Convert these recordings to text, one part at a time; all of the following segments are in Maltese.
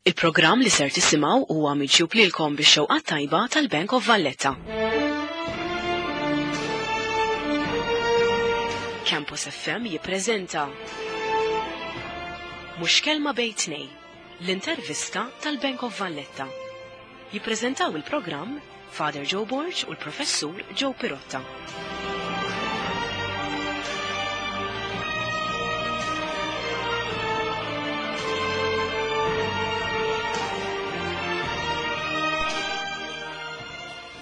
Il-programm li ser tisimgħu huwa miġjub lilkom bix-xewqa tajba tal-Bank of Valletta. Campus FM jippreżenta Mhux Kelma Bejn Tnejn, l-intervista tal-Bank of Valletta. Jippreżentaw il-programm Father Joe Borg u l-Professur Joe Pirotta.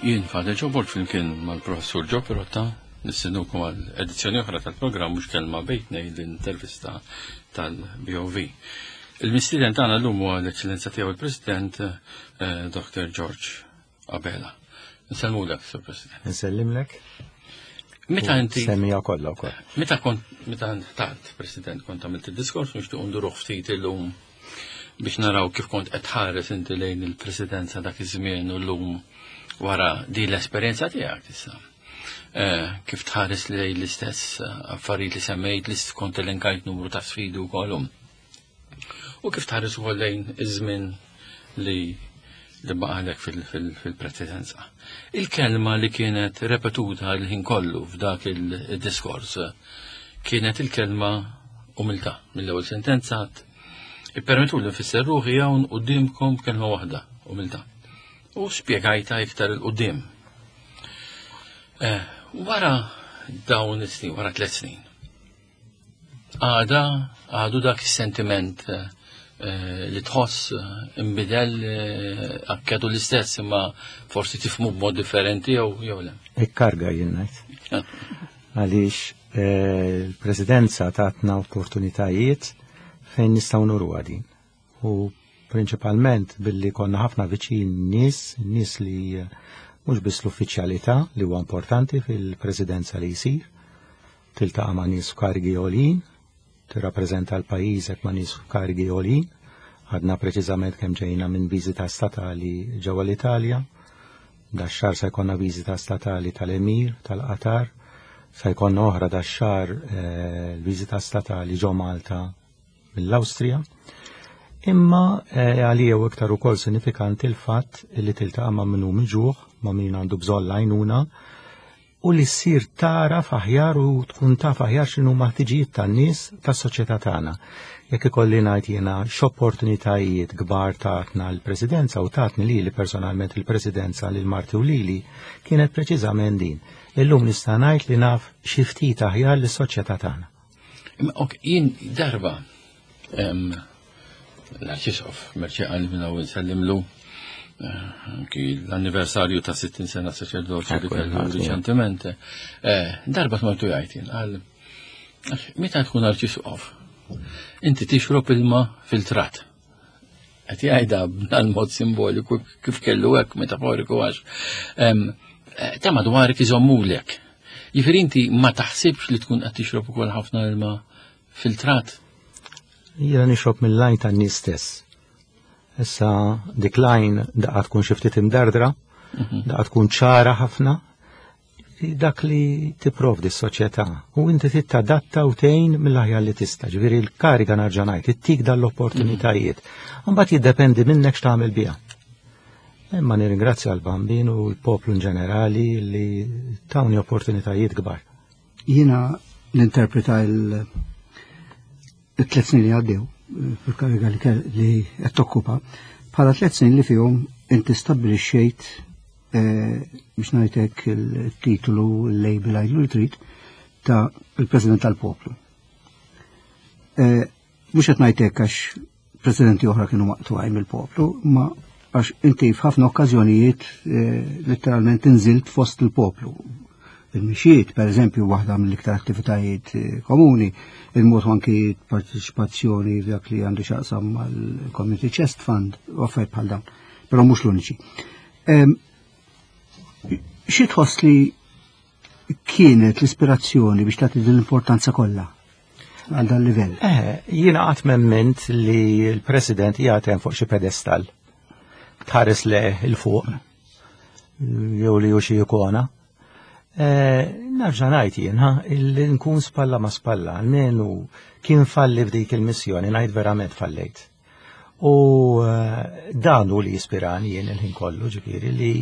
Jien Father Joe Borg flimkien mal-Professur Joe Pirotta nistennukom għal edizzjoni oħra tal-programm mhux kelma bejtnej l-intervista tal-BOV. Il-mistieden tagħna llum huwa l-Eċċellenza tiegħu il-President eh, Dr. George Abela. Nsellmulek, Sur President. Nsellimlek. Meta inti. Semmija kollha wkoll. Meta kont meta tant, President, kont għamilt id-diskors nixtieq nduruh ftit illum biex naraw kif kont qed tħares inti lejn il-presidenza dak iż-żmien u llum wara din l-esperjenza tiegħek issa. Eh, kif tħares lejn l-istess eh, affarijiet li semmejt li kont elenkajt numru ta' sfidi wkoll. U kif tħares ukoll lejn iż-żmien li li baqalek fil-presidenza. Il-kelma li kienet repetuta l-ħin kollu f'dak il-diskors kienet il-kelma umiltà. Mill-ewwel sentenza ippermettu li nfisser ruħi hawn qudiemkom kelma waħda, umiltà. U spjegajta iktar il-qudiem. Eh, wara dawn is-snin, wara tliet snin, għada għadu dak is-sentiment eh, li tħoss eh, imbidel akkedu l-istess imma forsi tifmu b'mod differenti jew jew le. Ikkarga jien ngħid. Għaliex il-presidenza tatna opportunitajiet fejn nistgħu nuru din. U prinċipalment billi konna ħafna viċin nies, nies li eh, mhux biss l-uffiċjalità li huwa importanti fil-presidenza li jsir, tiltaqa' ma' nies f'karigi għoljin, tirrappreżenta l-pajjiżek ma' nies f'karigi għoljin, għadna preċiżament kemm ġejna minn viżita statali ġewwa l-Italja, dax-xahar se jkollna viżita statali tal-Emir tal-Qatar, se jkollna oħra dax-xahar eh, l-viżita statali ġo Malta mill-Awstrija, imma eh, għalija u iktar ukoll sinifikanti l-fatt li tiltaqa' ma' min hu miġuħ, ma' min għandu bżonn l-għajnuna, u li ssir tara aħjar u tkun taf aħjar x'inhu ma ħtiġijiet tan-nies tas-soċjetà tagħna. Jekk ikolli ngħid jiena x'opportunitajiet kbar tatna l-Presidenza u tatni lili personalment il-Presidenza lil Marti u lili kienet preċiżament din. Illum nista' ngħid li naf xi ftit aħjar lis-soċjetà tagħna. Ok, jien darba l-arċisqof Merċi għal minna u nsellimlu eh, anki l-anniversarju ta' 60 sena saċerdoċi li kellu riċentement. Eh, darba tmortu jgħid jien għal meta tkun arċisqof inti tixrob ilma filtrat. Qed jgħidha b'dan mod simboliku kif kellu hekk metaforiku għax eh, ta' madwarek iżommulek. Jifieri inti ma taħsibx li tkun qed tixrob ukoll ħafna ilma filtrat. Jiena nixrob mill-lajn tan-nies stess. Issa dik lajn daqqa tkun xi ftit imdardra, mhm. daqqa tkun ċara ħafna, dak li tipprovdi s-soċjetà u inti tittadatta u tgħin mill-aħjar li tista'. Ġifieri l-kariga narġa' ngħid ittik dan l-opportunitajiet. Imbagħad jiddependi minnek x'tagħmel biha. Imma nirringrazzja l-Bambin u l-poplu in ġenerali li tawni opportunitajiet kbar. Jiena ninterpreta il-tliet snin li għaddew eh, fil-kariga li qed tokkupa bħala tliet snin li fihom inti stabbilixxejt eh, biex ngħidlek il-titolu, il-label għajlu li trid ta' il-President tal-Poplu. Eh, mhux qed ngħidlek għax presidenti oħra kienu maqtugħin mill-poplu, ma għax inti f'ħafna okkażjonijiet eh, letteralment inżilt fost il-poplu. Il-mixiet, per eżempju, waħda mill-iktar attivitajiet komuni, il-mod anki parteċipazzjoni f'dak li għandu xaqsam mal-Community Chest Fund, u affarijiet bħal dawn, però mhux l-uniċi. Xi tħoss li kienet l-ispirazzjoni biex tagħti din l-importanza kollha għal dan livell? Eh, jiena qatt memment li l-President qiegħed hemm fuq xi pedestal. Tħares le il fuq jew li hu xi ikona. Eh, Narġa' ngħid jien, ha, illi nkun spalla ma spalla, almenu kien falli f'dik il-missjoni, ngħid verament fallejt. U dan hu li jispirani jien il-ħin kollu, ġifieri li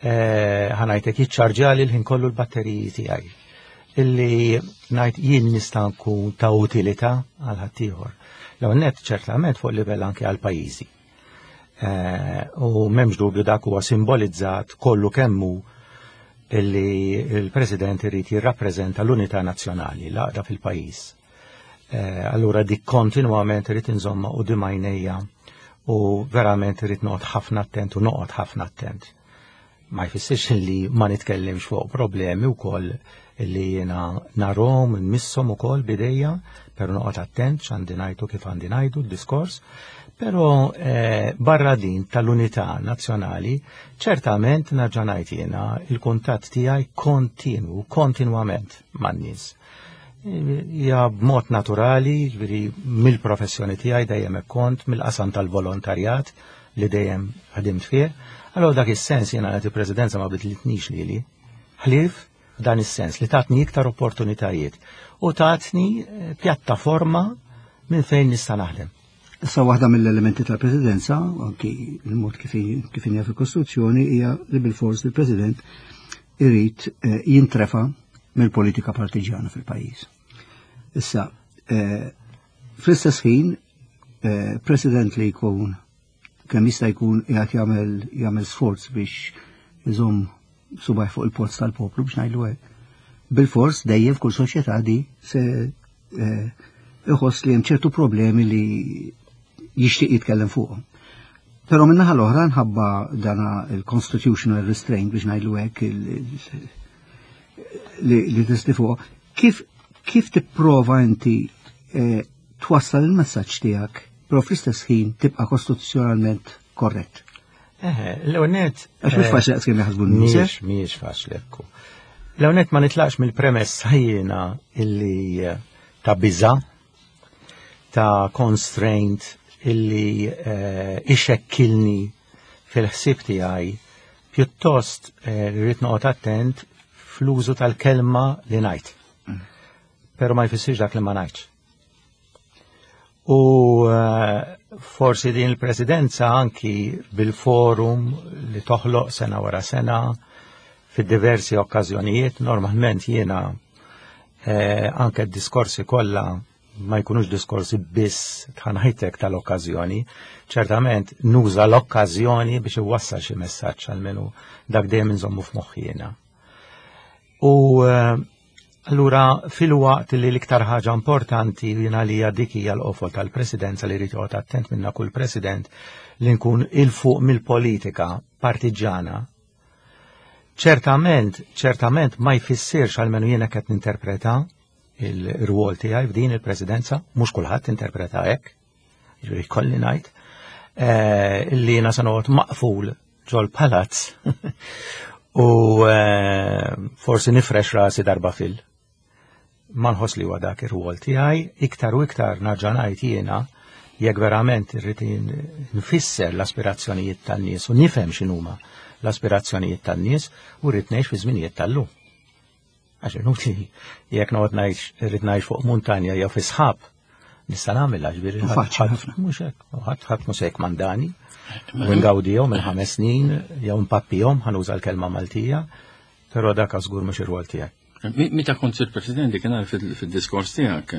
ħa ngħidlek jiċċarġjali l-ħin kollu l-batteriji tiegħi. Illi ngħid jien nista' nkun ta' utilità għal ħaddieħor. L-ewwel nett ċertament fuq livell anke għal pajjiżi. U m'hemmx dubju dak huwa simbolizzat kollu kemmu illi il-President irid jirrappreżenta l-unità nazzjonali, l-għaqda fil-pajjiż. Allura dik kontinwament irid inżomma u dimajnejja u verament irid noqgħod ħafna attent u noqgħod ħafna attent. Ma jfissirx li ma nitkellimx fuq problemi wkoll li jiena narhom, nmisshom ukoll bidejja, però noqgħod attent x'għandi ngħidu kif għandi ngħidu d-diskors. Però barra din tal-unità nazzjonali, ċertament nerġa' ngħid jiena il-kuntatt tiegħi kontinu, kontinwament man-nies. Ja b'mod naturali, ġifieri mill-professjoni tiegħi dejjem hekk kont, mill-qasam tal-volontarjat li dejjem ħdimt fih. Allora dak is-sens jiena qed il-Presidenza ma bidlitnix lili. Ħlief dan is-sens li tatni iktar opportunitajiet u tatni pjattaforma minn fejn nista' naħdem. Issa waħda mill-elementi tal-Presidenza, anki il-mod kif hija fil-Kostituzzjoni, hija li bil-fors il-President irid jintrefa mill-politika partiġjana fil-pajjiż. Issa, fl-istess ħin, President li jkun kemm jista' jkun qiegħed jagħmel sforz biex iżomm subaj fuq il-polz tal-poplu biex ngħidlu hekk. Bil-fors dejjem f'kull soċjetà di se iħoss li hemm ċertu problemi li jixtieq jitkellem fuqhom. Però min-naħa l-oħra nħabba dana il-constitutional restraint biex ngħidlu hekk li tisti fuq, kif tipprova inti twassal il-messaġġ tiegħek, però fl-istess ħin tibqa' kostituzzjonalment korrett? Eħe, l-ewwel nett, Għax mhux faċli daqs kemm jaħsbu n-nies, eh? Mhijiex faċli ekku. L-ewwel nett ma nitlaqx mill-premessa jiena illi ta' biża, ta' constraint illi ixekkilni fil-ħsieb tiegħi, pjuttost rrid noqgħod attent fl-użu tal-kelma li ngħid. Però ma jfissirx dak li ma ngħidx. U forsi din il-presidenza anki bil-forum li toħloq sena wara sena fid-diversi okkażjonijiet, normalment jiena anke d-diskorsi kollha ma jkunux diskorsi biss tħanħajtek tal-okkażjoni, ċertament nuża l-okkażjoni biex iwassal xi messaġġ għalmenu dak dejjem inżommu f'moħħi jiena. U allura fil-waqt li l-iktar ħaġa importanti jiena li hija dik hija l-qofol tal-presidenza li jrid joqgħod attent minna kull president li nkun il fuq mill-politika partiġġana. Ċertament, ċertament ma jfissirx għalmenu jiena qed ninterpreta il-rwol tiegħi f'din il-presidenza, mhux kulħadd interpreta hekk, ġifieri kolli ngħid, illi jiena se noqgħod maqful ġol palazz u forsi nifrex rasi darba fil. Ma nħoss li huwa dak ir-rwol tiegħi, iktar u iktar nerġa' ngħid jiena jekk verament irrid nfisser l-aspirazzjonijiet tan-nies u nifhem x'inhuma l-aspirazzjonijiet tan-nies u rrid ngħix fi żminijiet tal-lum. Għax inutli jekk noqgħod ngħix irrid ngħix fuq muntanja jew fi sħab, nista' nagħmilha, ġifieri U faċli ħafna. Mhux hekk, ħadd mhux se jkmandani. U ngawdihom minn 5 snin jew npappihom, ħa nuża l-kelma Maltija, però dak żgur mhux ir-rwol tiegħi. Meta kont sir President, kien għarf fil-diskors tiegħek,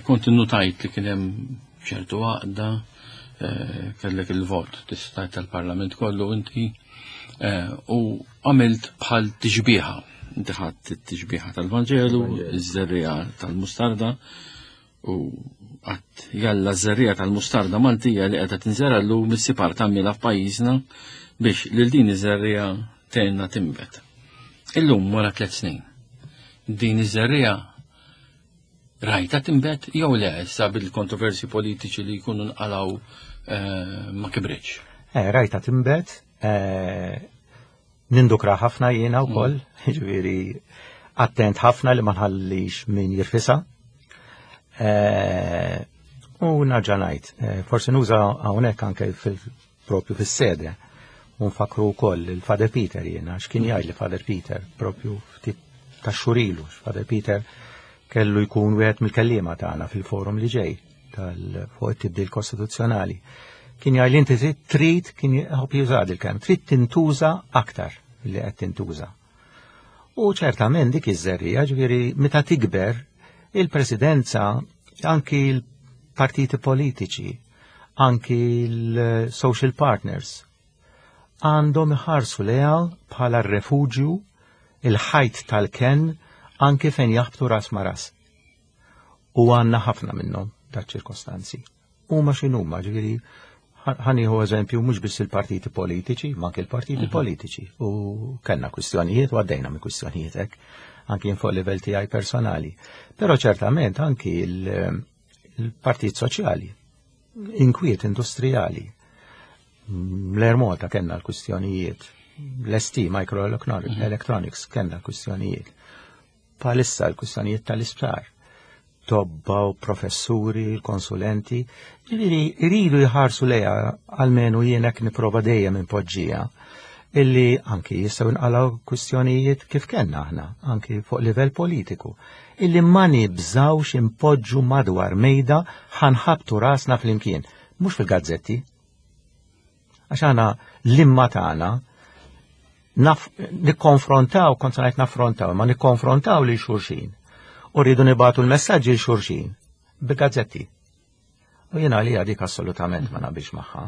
kont innutajt li kien hemm ċertu għaqda, kellek il-vot tista' tal-Parlament kollu inti, u għamilt bħal tixbieha. Inti ħadd it-tixbieha tal-Vanġelu, iż-żerriegħa tal-mustarda, u għat jalla ż-żerriegħa tal-mustarda Maltija li qiegħda tinżera llum issib art tagħmilha f'pajjiżna biex lil din iż-żerriegħa tgħinna tinbet. Illum wara 3 snin, din iż-żerriegħa rajta tinbet jew le issa bil-kontroversi politiċi li jkunu nqalaw ma kibritx? Rajta tinbet, nindukra ħafna jiena wkoll, ġifieri attent ħafna li ma nħallix min jirfisa. U nerġa' ngħid, forsi nuża hawnhekk anke propju fis-sede. U nfakru wkoll il-Father Peter jiena, x'kien jgħid li Father Peter propju ftit ta' xurilu, Father Peter kellu jkun wieħed mill-kelliema tagħna fil-forum li ġej. tal fuq it-tibdil kostituzzjonali. Kien jgħid li inti trid kien jħobb juża il-kelm, trid tintuża aktar li qed tintuża. U ċertament dik iż-żerriegħa, ġifieri meta tikber il-presidenza anki l-partiti politiċi, anki l-social partners għandhom iħarsu lejha bħala r-refuġju, il-ħajt tal-kenn anki fejn jaħbtu ras ma' ras. U għandna ħafna minnhom ta' ċirkostanzi. Huma x'inhuma, ġifieri ħa nieħu eżempju mhux biss il-partiti politiċi, ma anke il-partiti politiċi. U kellna kwistjonijiet u għaddejna minn kwistjonijiet hekk, anki fuq livell tiegħi personali. Però ċertament anki il-partit soċjali, inkwiet industrijali. L-Air Malta kellna l-kwistjonijiet, l-ST Micro Electronics kellna l-kwistjonijiet. Bħalissa l-kwistjonijiet tal-isptar, tobba u professuri, l-konsulenti, ġifieri iridu jħarsu lejha almenu jien hekk nipprova dejjem impoġġija illi anki jistgħu nqalgħu kwistjonijiet kif kellna aħna, anki fuq livell politiku, illi ma nibżawx impoġġu madwar mejda ħa nħabbtu rasna flimkien, mhux fil-gazzetti. Għax aħna l-imma tagħna nikkonfrontaw, kont ngħid naffrontaw, ma nikkonfrontaw lil xulxin. U rridu nibagħtu l-messaġġi lil xulxin bil-gazzetti. U jiena li dik assolutament ma naqbilx magħha.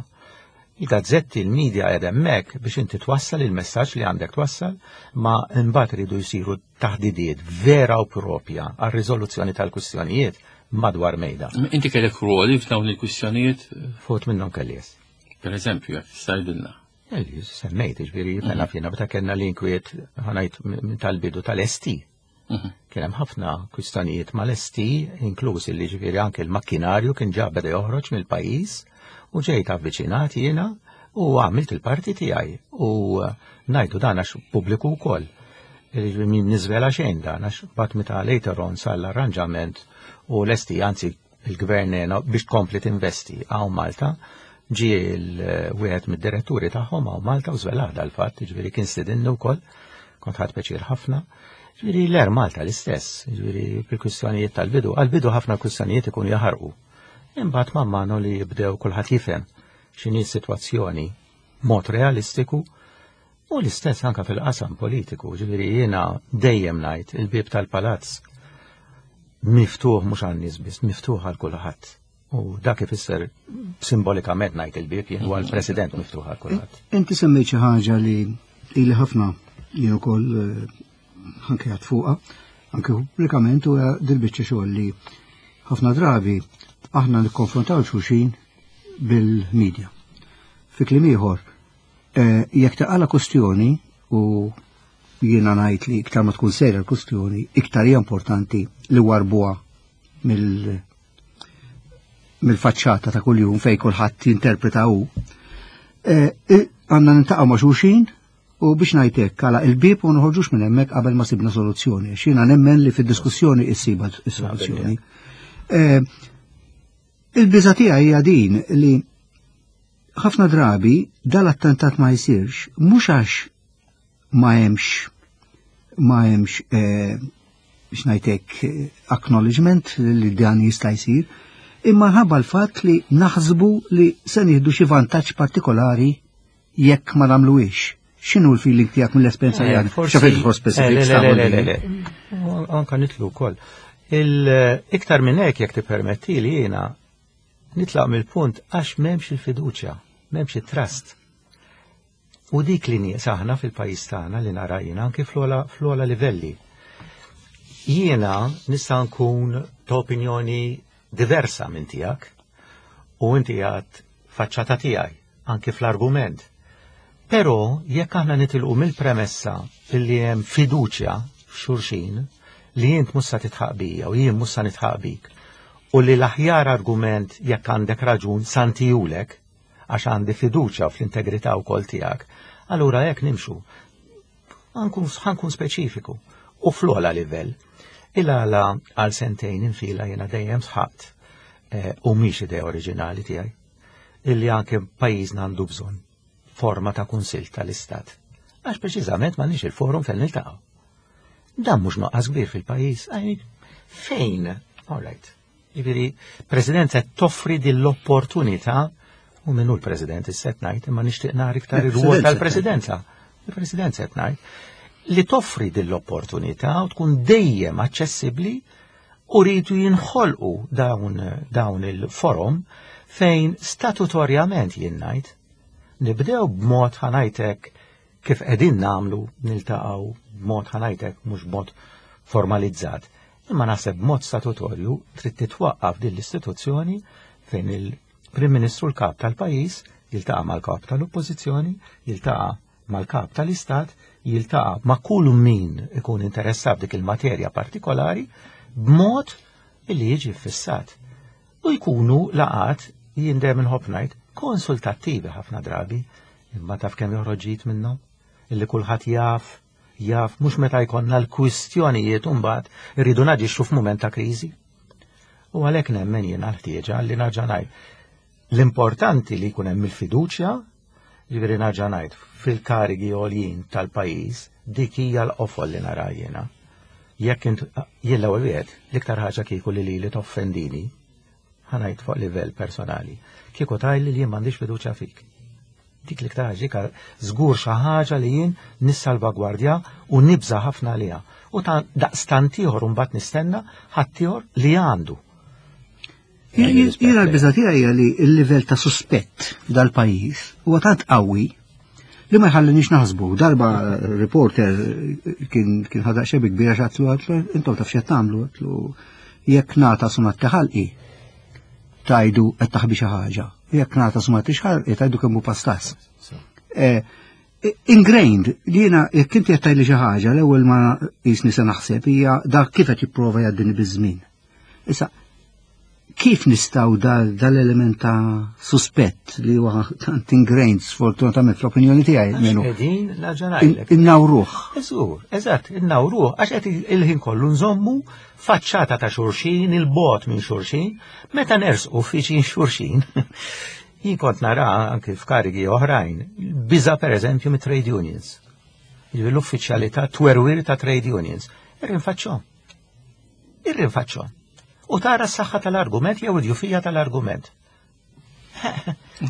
Il-gazzetti, il-media qed hemmhekk biex inti twassal il-messaġġ li għandek twassal, ma mbagħad iridu jsiru taħdidiet vera u propja għar-riżoluzzjoni tal-kwistjonijiet madwar mejda. Inti kellek ruoli f'dawn il-kwistjonijiet? Fot minnhom kelli. Per eżempju, jekk tista' tgħidilna. Semmejt, ġifieri, mela fjena, meta kellna l-inkwiet ħa ngħid tal-bidu tal-ST. Kien hemm ħafna kwistjonijiet mal-ST, inkluż li ġifieri anke l-makkinarju kien ġa beda joħroġ mill-pajjiż u ġejt avviċinat jiena u għamilt il-parti tiegħi u ngħidu dan għax pubbliku wkoll. Min niżvela xejn dan għax bat meta later on sar l-arranġament u l-ST anzi il-gvern biex tkompli tinvesti hawn Malta ġie l-wieħed mid-diretturi tagħhom hawn Malta u żvelah dal-fatt, ġifieri kien stidinni wkoll, kont ħadt pjaċir ħafna. Ġifieri l-Air Malta l-istess, ġifieri fil-kwistjonijiet tal-bidu, għal-bidu ħafna kwistjonijiet ikunu jaħarqu. Imbagħad man mano li jibdew kulħadd jifhem x'inhi s-sitwazzjoni mod realistiku u l-istess anka fil-qasam politiku, ġifieri jiena dejjem ngħid il-bieb tal-palazz miftuħ mhux għan-nies biss, miftuħ għal kulħadd. U dak ifisser simbolikament ngħid il-bieb jien huwa l-President miftuħ għal kulħadd. Inti semmejt xi ħaġa li ili ħafna jien ukoll anke għad fuqha, anke pubblikament huwa dil-biċċa xogħol li ħafna drabi aħna nikkonfrontaw xulxin bil-medja. Fi kliem ieħor, jekk taqala kustjoni u jiena ngħid li iktar ma tkun serja l-kustjoni, iktar hija importanti li warbuha mill-faċċata ta' kuljum fej kulħadd jinterpreta hu. Għandna nintaqgħu ma' xulxin u biex ngħidlek għala il-bieb u noħorġux minn hemmhekk qabel ma sibna soluzzjoni. X'jiena nemmen li fid-diskussjoni issiba s-soluzzjoni. Il-biża tiegħi hija din li ħafna drabi dal-attentat ma jsirx mhux għax ma hemmx ma hemmx biex ngħidlek acknowledgement li dan jista' jsir, imma ħabba l-fatt li naħsbu li se nieħdu xi vantaġġ partikolari jekk ma nagħmluhiex. X'inhu l-feeling tiegħek mill-esperjenza li għandek? Forsi X'għafet for specific Le, le, le, le, le, le. le. Anka nitlu wkoll. Il-iktar minn hekk jekk tippermetti li jiena nitlaq mill-punt għax m'hemmx il-fiduċja, m'hemmx it-trust. U dik li nieqsa aħna fil-pajjiż tagħna li nara jiena anke fl-ogħla livelli. Jiena nista' nkun ta' opinjoni diversa minn tiegħek u inti għad faċċata tiegħi anke fl-argument. Però jekk aħna nitilqu mill-premessa li hemm fiduċja f'xulxin li int mhux sa titħaq bija u jien mhux sa nitħaq bik u li l-aħjar argument jekk għandek raġun sa ntihulek għax għandi fiduċja fl-integrità wkoll tiegħek, allura hekk nimxu. Ħa nkun speċifiku u fl-ogħla livell. Il-għala għal sentejn infila jiena dejjem sħaqt u mhix idea oriġinali tiegħi illi anke pajjiżna għandu bżonn forma ta' kunsill tal-Istat. Għax preċiżament m'għandniex il-forum fejn niltaqgħu. Dan mhux noqqas kbir fil-pajjiż, fejn? All right. Ġifieri, presidenza toffri din l-opportunità u minnu l-president is-set ngħid, imma nixtieq nara iktar ir-rwol tal-presidenza. Il-presidenza qed ngħid li toffri din l-opportunità u tkun dejjem aċċessibbli u rridu jinħolqu dawn, dawn il-forum fejn statutorjament jien ngħid nibdew b'mod ħanajtek kif qegħdin nagħmlu niltaqgħu b'mod ħanajtek mhux b'mod formalizzat. Imma naħseb b'mod statutorju trid titwaqqaf din l-istituzzjoni fejn il-Prim Ministru l-kap tal-pajjiż jiltaqa' mal-kap tal-Oppożizzjoni, jiltaqa' mal-kap tal-Istat, jiltaqa' ma' kull min ikun interessat dik il-materja partikolari b'mod li jiġi fissat. U jkunu laqat jien dejjem inħobb ngħid konsultattivi ħafna drabi, imma taf kemm joħroġ ġid minnhom illi kulħadd jaf jaf mhux meta jkollna l-kwistjonijiet u mbagħad irridu naġixxu f'mument ta' kriżi. U għalhekk nemmen jiena l-ħtieġa li nerġa' ngħid. L-importanti li jkun hemm il-fiduċja, jiġifieri nerġa' ngħid fil-karigi għoljin tal-pajjiż, dik hija l-qofol li nara jiena. Jekk int jien l-ewwel wieħed, l-iktar ħaġa kieku li lili toffendini, ħa ngħid fuq livell personali, kieku tgħidli li jien m'għandix fiduċja fik. Dik l-iktar ħaġa żgur xi ħaġa li jien nissalvagwardja u nibża' ħafna għaliha. U ta' daqstant ieħor mbagħad nistenna ħaddieħor li għandu. Jiena l-biża' tiegħi hija li l-livell ta' suspett dal-pajjiż huwa tant qawwi li ma jħallinix naħsbu. Darba reporter kien kien ħadaq xebi kbira x'għatlu għatlu intom taf x'qed tagħmlu għatlu jekk nagħta sumat ħalqi tajdu qed taħbi xi ħaġa. Jekk nagħta sumat ħalqi tajdu kemm hu pastas. Eh, ingrained li jiena jekk inti qed tgħidli xi ħaġa l-ewwel ma qisni se naħseb hija dak kif qed jipprova jgħaddini biż-żmien. Issa, kif nistaw dal-element ta' suspett li huwa tant ingrained sfortunatament fl-opinjoni tiegħi minnu. Qegħdin naġa' Innawruh. Eżur, eżatt, innawruh għax qed il-ħin kollu nżommu faċċata ta' xulxin, il-bot minn xulxin, meta nersqu fiċin xulxin. Jien kont nara anki f'karigi oħrajn, biża pereżempju mit-trade unions. Jiġifieri l-uffiċjalità twerwir ta' trade unions. Irrinfaċċhom. Irrinfaċċhom. U tara s-saħħa tal-argument jew id-djufija tal-argument.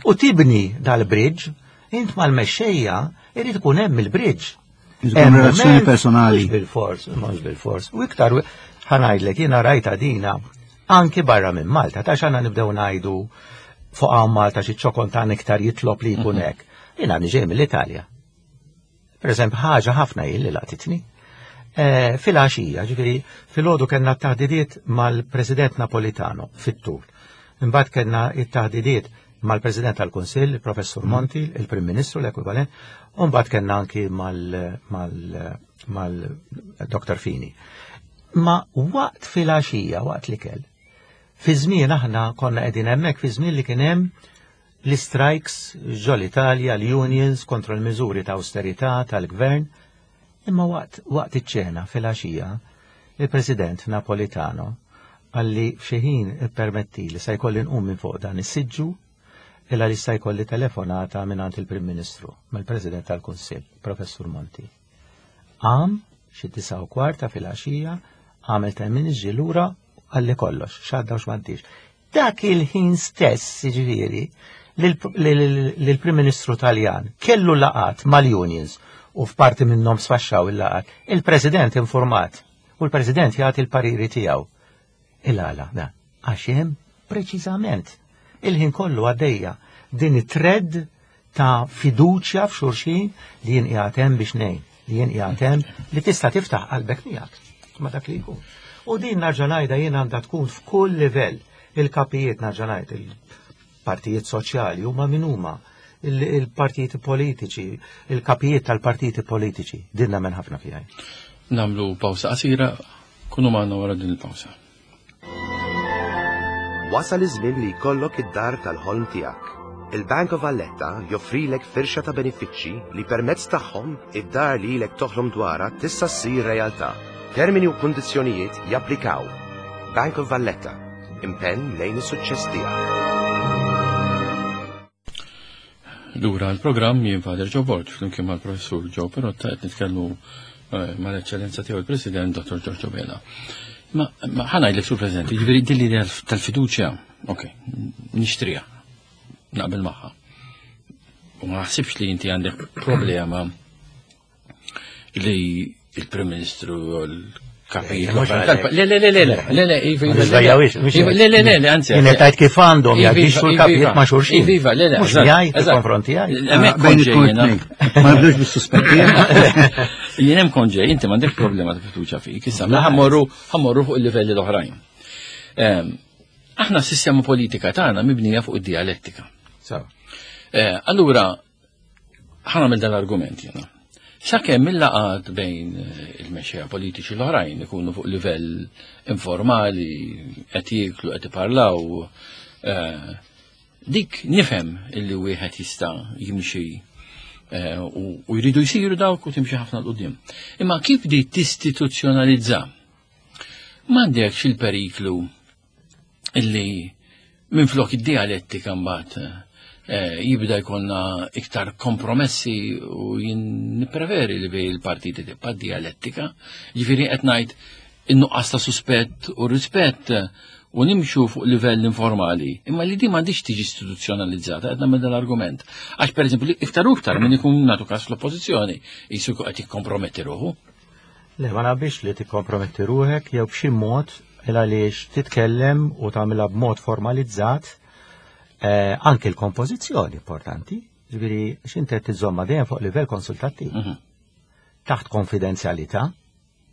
U tibni dal-bridge, int mal-mexxejja irid ikun hemm il-bridge. Relazzjoni personali. Mhux bil-fors, mhux bil-fors. U iktar ħanajdlek jiena rajta dina anki barra minn Malta, ta' xana nibdew ngħidu fuq hawn Malta xi ċokon ta' iktar jitlob li jkun mhm. hekk. Jiena niġej mill-Italja. Per eżempju, ħaġa ħafna hi li laqtitni. Eh, fil-għaxija, ġifieri, fil-għodu kellna taħdidiet mal-President Napolitano fit-tul. Imbagħad kellna t-taħdidiet mal-President tal-Kunsill, il-Professur mm. Monti, il-Prim Ministru l-ekwivalent, u mbagħad kellna anki mal-Dr. Fini. Ma waqt fil-għaxija, waqt li kell, fi żmien aħna konna qegħdin hemmhekk fi żmien li kien hemm l-istrajks ġol-Italja, l-unions kontra l-miżuri ta' awsterità tal-gvern. Imma waqt waqt iċ-ċena filgħaxija, il-President Napolitano qalli f'xi ħin ippermettili se jkolli nqum minn fuq dan is-siġġu il għaliex se jkolli telefonata mingħand il-Prim Ministru, mill-President tal-Kunsill, Professur Monti. Qam xi 9:15 ta' filgħaxija, għamel ten minutes ġie lura qalli kollox, x'għadda u x'm'għaddiex. Dak il-ħin stess, jiġifieri, li l-Prim Ministru Taljan kellu laqat mal-unions u f'parti minnhom sfaxxaw il-laqat, il-President informat u l-President jagħti l-pariri tiegħu. Il-għala, da, għax hemm preċiżament il-ħin kollu għaddejja din it-thread ta' fiduċja f'xulxin li jien qiegħed hemm biex ngħin, li jien qiegħed hemm li tista' tiftaħ qalbek miegħek ma' dak li jkun. U din narġa' ngħidha jien għandha tkun f'kull livell. Il-kapijiet narġa' ngħid il-partijiet soċjali huma min huma il-partiti politiċi, il-kapijiet tal-partiti politiċi. Din nagħmel ħafna fiha. Namlu pawsa qasira, kunu magħna wara din il-pawsa. Wasal iż-żmien li jkollok id-dar tal-ħolm tiegħek. Il-Bank of Valletta joffrilek firxa ta' benefiċċji li permezz tagħhom id-dar li ilek toħlom dwarha tista' ssir realtà. Termini u kundizzjonijiet japplikaw. Bank of Valletta, impenn lejn is-suċċess tiegħek. Lura l-programm jien Father Joe Borg flimkien mal-Professur Joe Perotta qed nitkellmu eh, mal-Eċċellenza tiegħu il-President Dr. Giorgio Vela. Ma ħa ngħidlek, Sur President, jiġifieri din l-idea tal-fiduċja, ok, nixtriha, naqbel magħha. U ma naħsibx li inti għandek problema li il-Prim Ministru u l-kapijiet. Le, le, le, le, le, le, iva, iva, le, le, le, le, anzi. Jien tajt kif għandhom jaġixxu l-kapijiet ma' xulxin. Iva, le, le. Mhux jgħid fil-konfronti għaj. Bejn it-tnejn. Ma nibdux bis-suspetti. Jien hemm kont ġej, inti m'għandek problema ta' fiduċja fik, issa mela ħammorru ħammorru fuq il-livelli l-oħrajn. Aħna s-sistema politika tagħna mibnija fuq id-dialettika. Allura, ħa nagħmel dan l-argument jiena. Sakemm il-laqgħat bejn il-mexxejja politiċi l-oħrajn ikunu fuq livell informali, qed jieklu, qed iparlaw, dik nifhem illi wieħed jista' jimxi u jridu jsiru dawk u timxi ħafna 'l quddiem. Imma kif di tistituzzjonalizza? M'għandekx il-periklu illi minn flok id-dialettika mbagħad jibda jkollna iktar kompromessi u jien nippreferi li bejn il-partiti tibqa' dialettika. Ġifieri qed ngħid in-nuqqas ta' suspett u rispett u nimxu fuq livell informali. Imma li di m'għandix tiġi istituzzjonalizzata, qed nagħmel dal-argument. Għax pereżempju iktar u iktar min ikun nagħtu każ fl-oppożizzjoni jisu qed jikkomprometti ruħu. Le, ma nabix li tikkomprometti ruħek jew b'xi mod il għaliex titkellem u tagħmilha b'mod formalizzat anke l-kompożizzjoni importanti. Ġifieri x'inti qed tiżomma dejjem fuq livell konsultattiv. Taħt konfidenzjalità,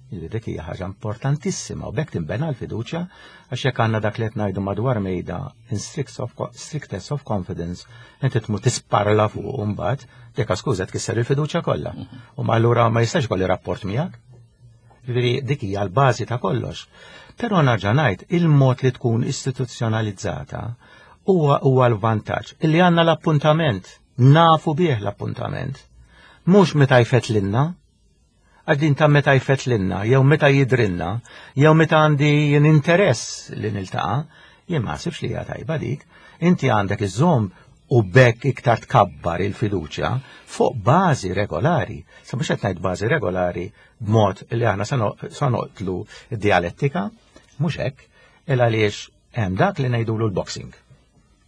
ġifieri dik hija ħaġa importantissima u b'hekk tinbena l-fiduċja għax jekk għandna dak li qed ngħidu madwar mejda in strictest of confidence, inti tmur tisparla fuq u mbagħad dik skuża tkisser il-fiduċja kollha. U ma allura ma jistax ikolli rapport miegħek. Ġifieri dik hija l-bażi ta' kollox. Però nerġa' ngħid il-mod li tkun istituzzjonalizzata huwa l-vantaġġ illi għandna l-appuntament, nafu bih l-appuntament. Mhux meta jfetlinna, għax din ta' meta jfetlinna, jew meta jidrinna, jew meta għandi jien interess li niltaqa', jien ma nsibx li hija tajba dik. Inti għandek iżżomm u b'hekk iktar tkabbar il-fiduċja fuq bażi regolari. Sa mhux qed ngħid bażi regolari b'mod li aħna sa noqtlu d-dialettika, mhux hekk, il għaliex hemm dak li ngħidulu l-boxing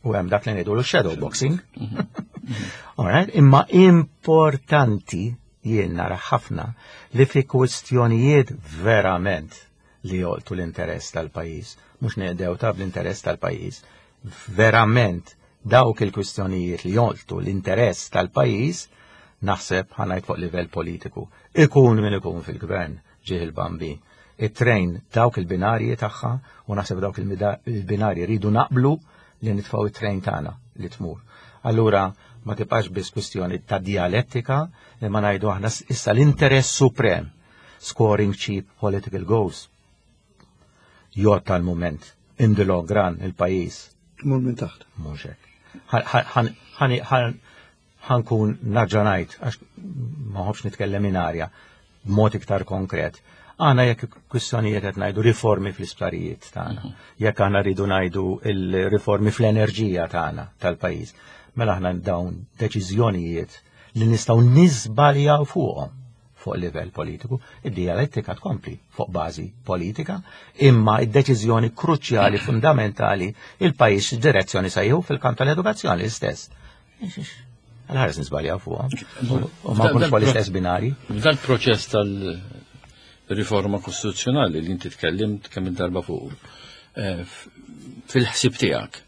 u hemm dak li ngħidulu shadow boxing. All right, imma importanti jien nara ħafna li fi kwistjonijiet verament li jolqtu l-interess tal-pajjiż, mhux neqdew ta' l-interess tal-pajjiż, verament dawk il-kwistjonijiet li jolqtu l-interess tal-pajjiż, naħseb ħa ngħid fuq livell politiku. Ikun min ikun fil-gvern ġieħ il-Bambin. It-train dawk il-binarji tagħha u naħseb dawk il-binarji rridu naqblu li nitfgħu it-train tagħna li tmur. Allura ma tibqax biss kwistjoni ta' dialettika imma ngħidu aħna issa l-interess suprem, scoring cheap political goals. Jgħod tal-moment, in the long run, il-pajjiż. Mur minn taħt. Mhux hekk. Ħa nkun nerġa' ngħid, għax ma nħobbx nitkellem in arja, b'mod iktar konkret. Għana jekk kwistjonijiet qed ngħidu riformi fl-isptarijiet tagħna, jekk aħna rridu ngħidu il-riformi fl-enerġija tagħna tal-pajjiż, mela aħna dawn deċiżjonijiet li nistgħu niżbaljaw fuqhom fuq livell politiku, id-dialettika tkompli fuq bażi politika, imma id-deċiżjoni kruċjali fundamentali il-pajjiż direzzjoni se jieħu fil-kamp tal-edukazzjoni l-istess. Għal-ħares nisbaljaw fuqhom. U ma nkunux fuq l-istess binari. F'dal proċess tal-riforma kostituzzjonali li inti tkellimt kemm il-darba fuq, fil-ħsieb tiegħek,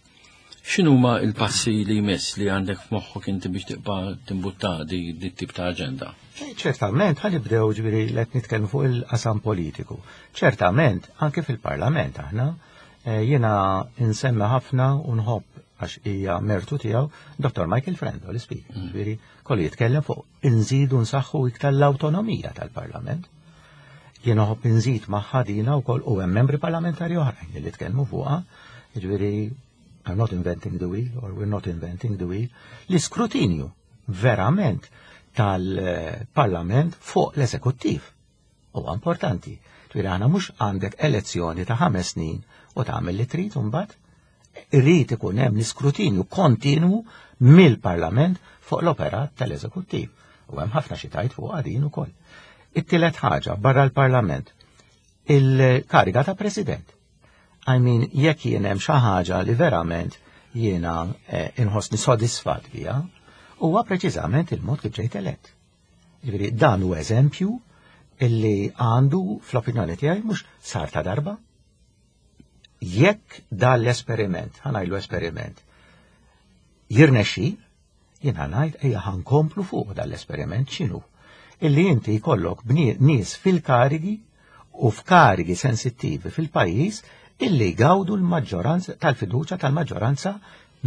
x'inhuma l-passi li jmiss li għandek f'moħħok inti biex tibqa' timbutta di tip ta' aġenda? Ċertament, ħa nibdew ġifieri li qed nitkellmu fuq il-qasam politiku. Ċertament, anke fil-Parlament aħna, jiena insemmi ħafna u nħobb għax hija mertu tiegħu Dr. Michael Frendo, l-Speaker. Ġifieri kollu jitkellem fuq inżidu nsaħħu iktar l-awtonomija tal-Parlament. Jiena nħobb inżid magħha dina wkoll u hemm membri parlamentari oħrajn li tkellmu fuqha, ġifieri I'm not inventing the wheel or we're not inventing the wheel, l-iskrutinju verament tal-Parlament fuq l-eżekuttiv. Huwa importanti. Ġifieri aħna mhux għandek elezzjoni ta' 5 snin u tagħmel li trid imbagħad. Irrid ikun hemm l-iskrutinju kontinwu mill-Parlament fuq l-operat tal-eżekuttiv. U hemm ħafna xi tgħid fuq din ukoll. It-tielet ħaġa barra l-Parlament. Il-kariga ta' president. I mean, jekk jien hemm xi ħaġa li verament jiena inħossni sodisfat biha, huwa preċiżament il-mod kif ġejt elett. Ġifieri dan hu eżempju illi għandu fl-opinjoni tiegħi mhux sar ta' darba. Jekk dan l-esperiment, ħa ngħidlu esperiment, jirnexxi, jiena ngħid ejja ħa nkomplu fuq dan l-esperiment x'inhu? Illi inti jkollok nies fil-karigi u f'karigi sensittivi fil-pajjiż illi jgawdu l-maġġoranza tal-fiduċja tal-maġġoranza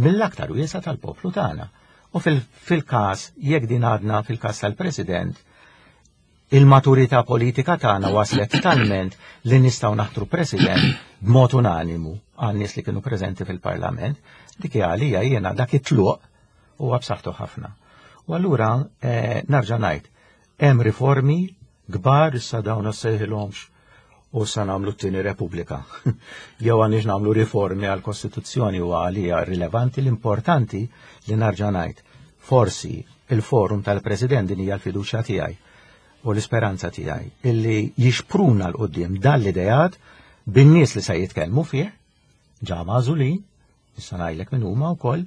mill-aktar wiesa tal-poplu tagħna. U fil-każ, jekk din għadna fil-każ tal-President, il-maturità politika tagħna waslet talment li nistgħu naħtru President b'mod unanimu għan-nies li kienu preżenti fil-Parlament, dik hija għalija jiena dak it-tluq huwa b'saħħtu ħafna. U allura eh, narġa' ngħid, hemm riformi kbar issa dawn sejħilhomx u sa nagħmlu t-tieni Repubblika. Jew għandix nagħmlu riformi għall-Kostituzzjoni u għalija rilevanti l-importanti li narġa' ngħid. Forsi il-forum tal-President din hija l-fiduċja tiegħi u l-isperanza tiegħi illi jixpruna 'l quddiem dan l-ideat bin-nies li se jitkellmu fih, ġa magħżulin, issa ngħidlek min huma wkoll,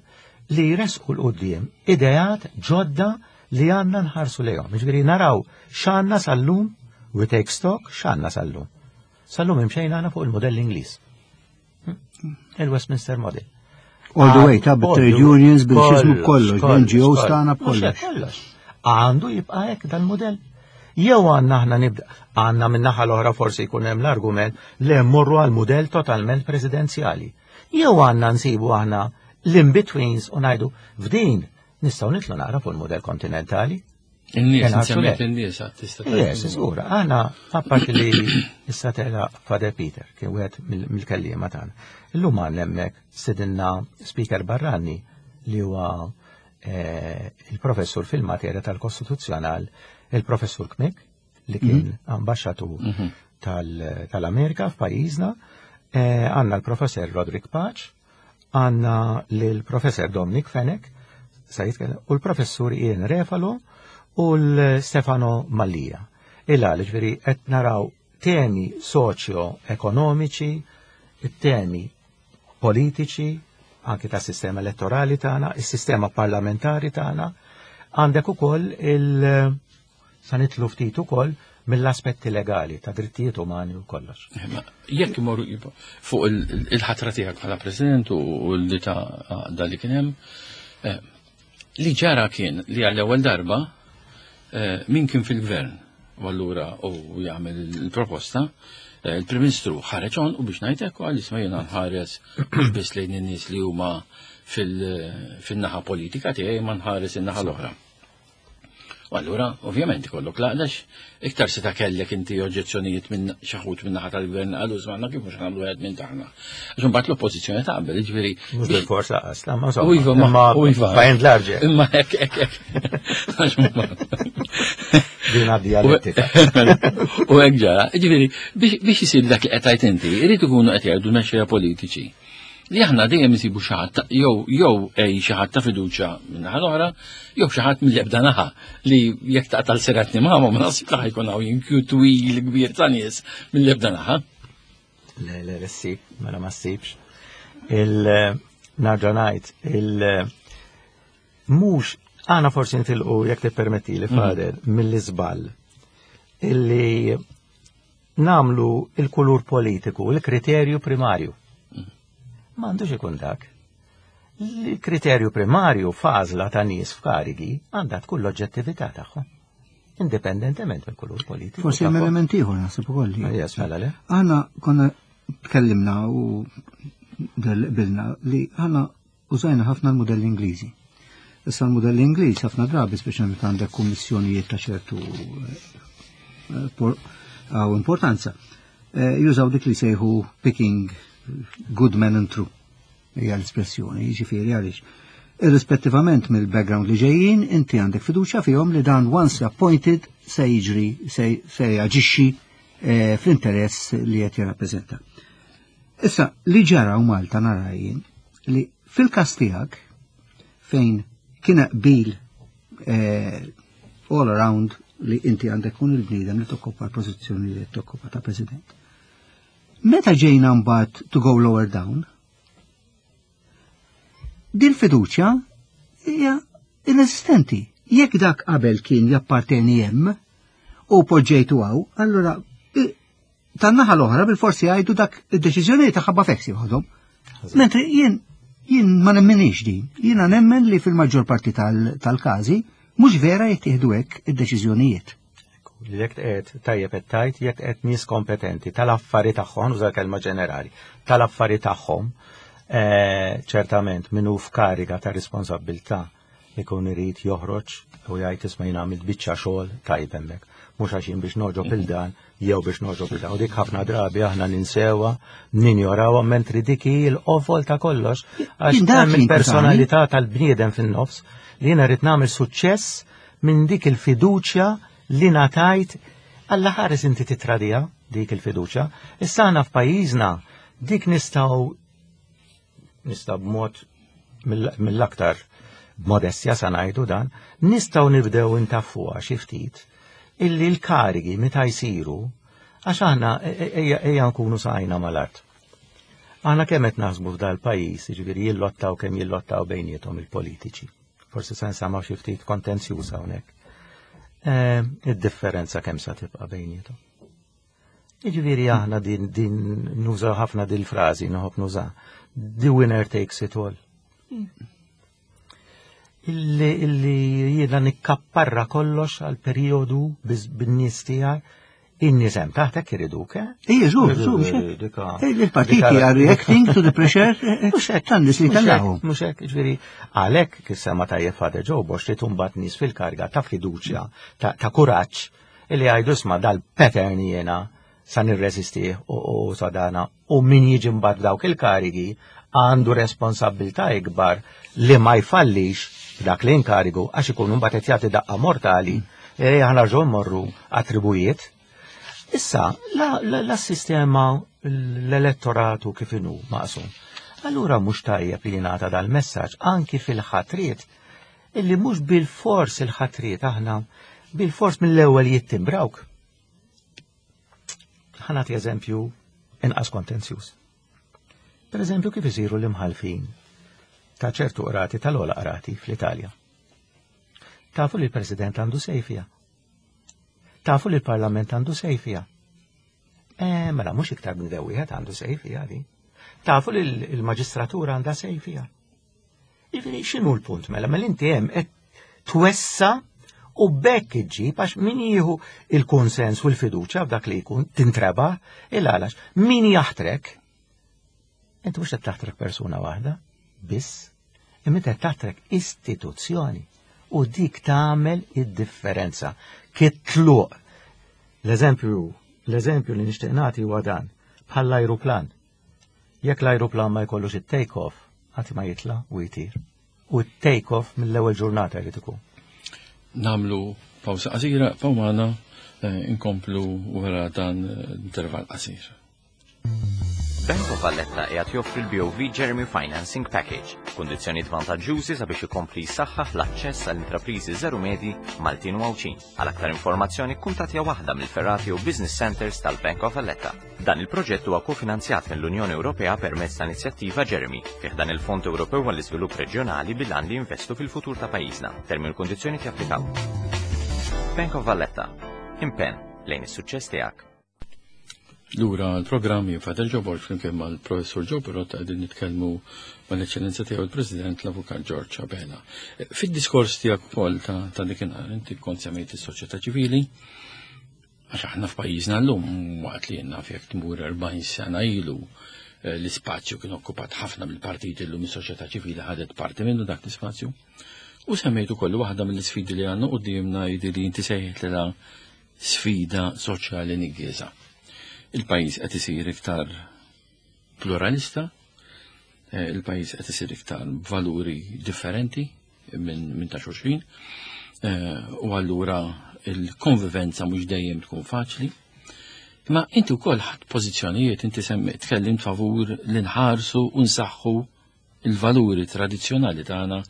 li jressqu 'l quddiem ideat ġodda li għandna nħarsu lejhom. Jiġifieri naraw x'għandna sal-lum, we take stock, x'għandna sal-lum. Sal-lum imxejna għandna fuq il-modell Ingliż. Il-Westminster Model. All the way, ta' trade unions, bil-xizmu kollox, bil-NGOs tagħna kollox. Kollox. Għandu jibqa' hekk dal-modell. Jew għandna aħna nibda, għandna min-naħa l-oħra forsi jkun hemm l-argument li mmorru għal mudell totalment presidenzjali. Jew għandna nsibu aħna l-in-betweens u ngħidu f'din nistgħu nitlu naqra fuq il-mudell kontinentali. In-nies, nsemmiet in-nies tista' Yes, żgur, aħna apparti li issa tela Father Peter, kien wieħed mill-kelliema tagħna. Illum għandna hemmhekk sidinna speaker barrani li huwa eh, il-professur fil-materja tal-Kostituzzjonal, il-professur Kmik, li kien mhm. ambaxxatur mhm. tal-Amerika f'pajjiżna, eh, għandna l-professor Roderick Pace, għandna l-professor Dominic Fenech, u l-professur Ian Refalo u l-Stefano Mallia. Illa ġifieri qed naraw temi soċjo-ekonomiċi, temi politiċi, anki ta' sistema elettorali tagħna, is-sistema parlamentari tagħna, għandek ukoll il- sa nitlu ftit ukoll mill-aspetti legali ta' drittijiet umani u kollox. Jekk imorru fuq il-ħatra tiegħek bħala President u li ta' għaqda li kien hemm, eh, li ġara kien li għall-ewwel darba eh, min kien fil-gvern u allura u jagħmel il-proposta, eh, il-Prim Ministru ħareġ on u biex ngħid hekk għal isma' jiena nħares mhux biss lejn in-nies li huma fil-naħa politika tiegħi ma nħares in-naħa l-oħra. U allura, ovvjament, ikollok laqdax, iktar seta kellek inti oġġezzjonijiet minn xaħut minn naħa tal-gvern għalu żmanna kif mhux nagħmlu għed minn taħna. Għax imbagħad l-oppożizzjoni taqbel, jiġifieri. Mhux bil-fors laqas, la ma U iva, ma u iva. By and large. Imma hekk hekk hekk. Din dialettika. U hekk ġara, jiġifieri biex isir dak li qed tgħid inti, irid ikunu qed jgħidu mexxejja politiċi li aħna dejjem insibu xi ħadd jew jew ej xi ħadd ta' fiduċja minn naħa l-oħra, jew xi ħadd mill-ebda naħa li jekk taqtal siratni magħhom ma naħsib li ħajkun hawn jinkju twil kbir ta' nies mill-ebda naħa. Le, le, le, ssib, mela ma ssibx. Il-narġa ngħid, il mhux għana forsi nitilqu jekk tippermetti li mhm. fader mill-iżball illi nagħmlu il-kulur politiku il-kriterju primarju. Ma għandux ikun dak. Il-kriterju primarju f'għażla ta' nies f'karigi għandha tkun l-oġġettività tagħhom. Indipendentement mill-kulur politiku. Forsi hemm element ieħor naħseb ukoll. Yes, mela le. Aħna konna tkellimna u qbilna li aħna Użajna ħafna l-mudelli Ingliżi. Issa l-mudelli Ingliż ħafna drabi speċjalment meta għandek kummissjonijiet ta' ċertu eh, eh, importanza, eh, jużaw dik li sejħu picking good men and true hija l-espressjoni, jiġifieri għaliex. Irrispettivament mill-background li ġejjin, inti għandek fiduċja fihom li dan once appointed se jiġri, se jaġixxi fl-interess li qed jirrappreżenta. Issa, li ġara u Malta nara jien li fil-każ tiegħek fejn kien qbil eh, all around li inti għandek kun il-bniedem li tokkopa l-pożizzjoni li tokkopa ta' president. Meta ġejna mbagħad to go lower down, din fiduċja hija inesistenti. Jekk dak qabel kien japparteni hemm u poġġejtu hawn, allura tan-naħa l-oħra bil-forsi jgħidu dak id-deċiżjoni ta' ħabba feksi joħodhom. Mentri jien jien ma nemmenix din. Jiena nemmen li fil-maġġor parti tal-każi mhux vera jittieħdu hekk id-deċiżjonijiet. Jekk qed tajjeb qed tajt, jekk qed nies kompetenti tal-affari tagħhom, uża kelma ġenerali, tal-affari tagħhom, eh, ċertament minnu f'kariga ta' responsabilità ikun irid joħroġ u jgħid isma' jien għamilt biċċa xogħol tajb hemmhekk. Mhux għax jien biex noġob il dan jew biex noġob il dan. U dik ħafna drabi aħna ninsewha, ninjorawha mentri dik hi l-qofol ta' kollox għax hemm il-personalità tal-bniedem fin-nofs li jiena rrid nagħmel suċċess minn dik il-fiduċja li ngħatajt Alla ħares inti titradija dik il-fiduċja. Issa aħna f'pajjiżna dik nistgħu nista' b'mod mill-aktar b'modestja sa ngħidu dan, nistgħu nibdew intaffuha xi ftit illi l-karigi meta jsiru għax aħna e, e, ejja nkunu saqajna mal-art. Aħna kemm qed naħsbu f'dal-pajjiż, jiġifieri jillottaw kemm jillottaw bejniethom il-politiċi. Forsi se nsamgħu xi ftit kontenzjuż hawnhekk. Eh, id-differenza kemm sa tibqa' bejniethom. Jiġifieri aħna din din nuża ħafna din frażi noħobb nuża. The winner takes it all. Illi illi jiena nikkapparra kollox għal perjodu bin-nies tiegħi in-nies hemm taħtek iriduk, eh? Ija, żgur, żgur, Il-partiti are reacting to the pressure eh, eh, tan-nies li tellgħu. Mhux hekk, ġifieri għalhekk kif sema tajjeb Father Joe Bosch li tumbat nies fil-karga ta' fiduċja, ta' kuraġġ illi jgħidu isma' dal-pattern jiena sa nirreżistih u sa dana u min jiġi mbagħad dawk il-karigi għandu responsabbiltà ikbar li ma jfallix dak l-inkarigu għax ikun mbagħad qed jagħti daqqa mortali e aħna rġgħu mmorru attribujiet. Issa, la, sistema l-elettoratu kif inhu maqsum. Allura mhux tajjeb li jingħata dal-messaġġ anki fil-ħatriet illi mhux bil-fors il-ħatriet aħna bil-fors mill-ewwel jittimbrawk. Ħa nagħti eżempju inqas kontenzjuż. Per eżempju kif isiru l-imħalfin ta' ċertu qrati tal-ola qrati fl-Italja. Tafu li l-President għandu sejfija. Tafu li l-Parlament għandu sejfija. Eh, mela mhux iktar minn wieħed għandu sejfija di. Tafu li l-maġistratura għandha sejfija. Jiġifieri x'inhu l-punt mela? Mela inti hemm qed twessa u bekk iġġib għax min jieħu il-konsens u l-fiduċja f'dak li jkun tintreba il għalax min jaħtrek inti mhux qed taħtrek persuna waħda biss imma qed taħtrek istituzzjoni u dik tagħmel id-differenza. Kitluq. L-eżempju, l-eżempju li nixtieq nagħti huwa dan bħall-ajruplan. Jekk l-ajruplan ma jkollux it-take off, qatt ma jitla' u jtir. U t-take off mill-ewwel ġurnata jrid ikun. Namlu pawsa qasira, pawmana eh, inkomplu wara dan eh, intervall qasir. Bank of Valletta qiegħed joffri l-BOV Jeremy Financing Package, kundizzjonijiet vantaġġjużi sabiex ikompli jsaħħaħ l-aċċess għall intrapriżi żeru medji Maltin u Għawdxin. Għal aktar informazzjoni kkuntattja waħda mill-ferrati u business centers tal-Bank of Valletta. Dan il-proġett huwa kofinanzjat mill-Unjoni Ewropea permezz ta' inizjattiva Jeremy fi ħdan il-Fond Ewropew għall-Iżvilupp Reġjonali bil-għan li jinvestu fil-futur ta' pajjiżna. Termini u kundizzjoni japplikaw. Bank of Valletta. Impenn lejn is-suċċess tiegħek. Lura l-programm jien Father Joe Borg flimkien mal-Professur Joe Pirrotta qegħdin nitkellmu mal-Eċċellenza tiegħu il-President l-Avukat George Abela. Fid-diskors tiegħek ukoll ta' ta' dikinhar inti kont semmejt is-soċjetà ċivili, Għax aħna f'pajjiżna llum waqt li naf jekk tmur 40 sena ilu eh, l-ispazju kien okkupat ħafna mill-partiti llum is-soċjetà ċivili ħadet parti minnu dak l-ispazju. U semmejtu kollu waħda mill-isfidi li għandna qudiemna jidi li inti sejħet lilha sfida soċjali niggieża. Il-pajjiż qed isir iktar pluralista, eh, il-pajjiż qed isir iktar valuri differenti minn min ta' xulxin, eh, u allura il-konvivenza mhux dejjem tkun faċli. Ma inti wkoll ħadd pożizzjonijiet, inti semmi tkellimt favur li nħarsu u nsaħħu il-valuri tradizzjonali tagħna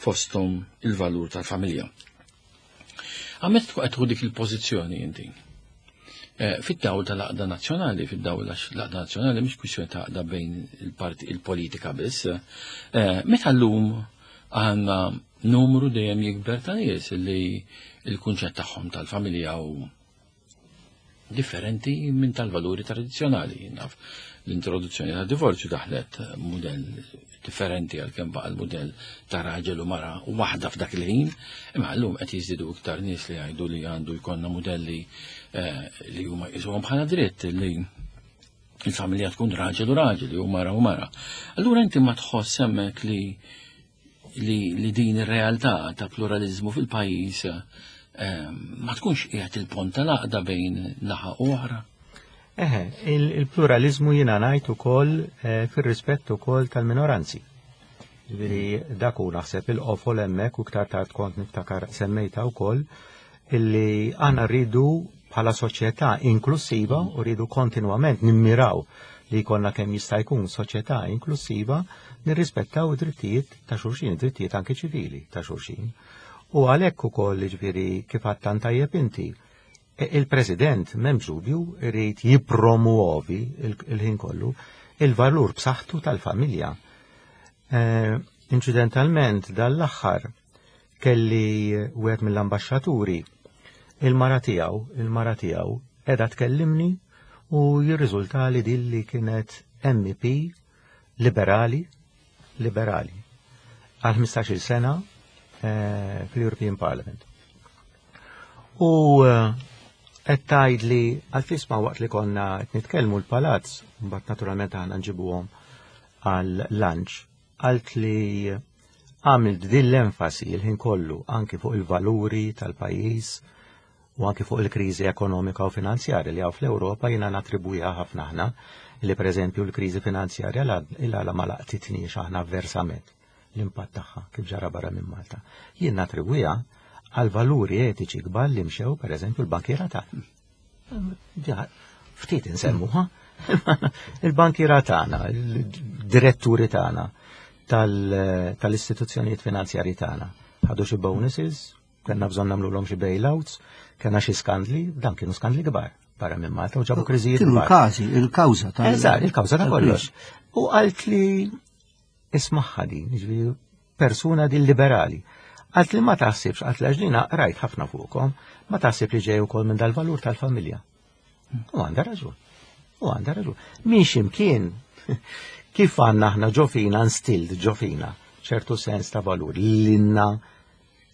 fosthom il-valur tal-familja. Għamet tkun qed dik il-pożizzjoni inti. Eh, fid-dawl tal-għaqda nazzjonali, fid-dawl għax l-għaqda nazzjonali mhix kwistjoni ta' għaqda bejn il-politika biss. Eh, meta llum għandna numru dejjem jikber ta' nies li l-kunċett tagħhom tal-familja u differenti minn tal-valuri tradizzjonali. Naf l-introduzzjoni ta' divorzju daħlet mudell differenti għal kemm baqa' l-mudell ta' raġel u mara waħda f'dak il-ħin, imma llum qed jiżdiedu iktar nies li jgħidu li għandu jkollna mudelli eh, li huma jqisuhom bħala dritt li il-familja tkun raġel u raġel jew mara u mara. Allura inti ma tħoss hemmhekk li li, li din ir-realtà ta' pluralizmu fil-pajjiż eh, ma tkunx qiegħed il-pont tal-għaqda bejn naħa u oħra? Eħe, il-pluralizmu jiena ngħid ukoll eh, fir-rispett ukoll tal-minoranzi. Ġifieri dak hu naħseb il-qofol hemmhekk u iktar tard kont niftakar semmejta wkoll illi aħna rridu bħala soċjetà inklusiva u rridu kontinwament nimmiraw li jkollna kemm jista' jkun soċjetà inklusiva nirrispettaw id-drittijiet ta' xulxin, id-drittijiet anke ċivili ta' xulxin. U għalhekk ukoll jiġifieri kif għadt tajjeb inti, e, il-President m'hemmx dubju irid jippromuovi il-ħin kollu il-valur b'saħħtu tal-familja. E, inċidentalment dal-aħħar kelli wieħed mill-ambaxxaturi il-mara tiegħu, il-mara tiegħu qiegħda tkellimni u jirriżulta li dilli kienet MEP liberali, liberali, għal 15-il sena eh, fil-European Parliament. U eh, qed tgħid li għal-fisma waqt li konna qed nitkellmu l-palazz, mbagħad naturalment aħna nġibuhom għal lunch, Qalt li għamilt din l-enfasi l-ħin kollu anki fuq il-valuri tal-pajjiż u anki fuq il-kriżi ekonomika u finanzjarja li hawn fl-Ewropa jiena natribwiha ħafna aħna li pereżempju l-kriżi finanzjarja il-għala ma laqtitniex aħna avversament l-impatt tagħha kif ġara barra minn Malta. Jien natribwiha għal valuri etiċi kbar li mxew pereżempju l-bankiera tagħna. Ftit insemmuha. Il-bankiera tagħna, il-diretturi tagħna tal-istituzzjonijiet finanzjarji tagħna. Ħadu xi bonuses, kellna bżonn nagħmluhom xi bailouts, kellna xi skandli, dan kienu skandli kbar barra minn Malta u ġabu kriżijiet. Kienu l-każi, il-kawża ta' Eżatt, il-kawża ta' kollox. U qalt li Ismagħha din, jiġifieri persuna din liberali. Għalt li ma taħsibx, għalt li għax rajt ħafna fuqkom, ma taħsib li ġej ukoll minn dal-valur tal-familja. U għandha raġun. U għandha raġun. Miex imkien kif għandna aħna ġofina instilled ġofina ċertu sens ta' valur li l-inna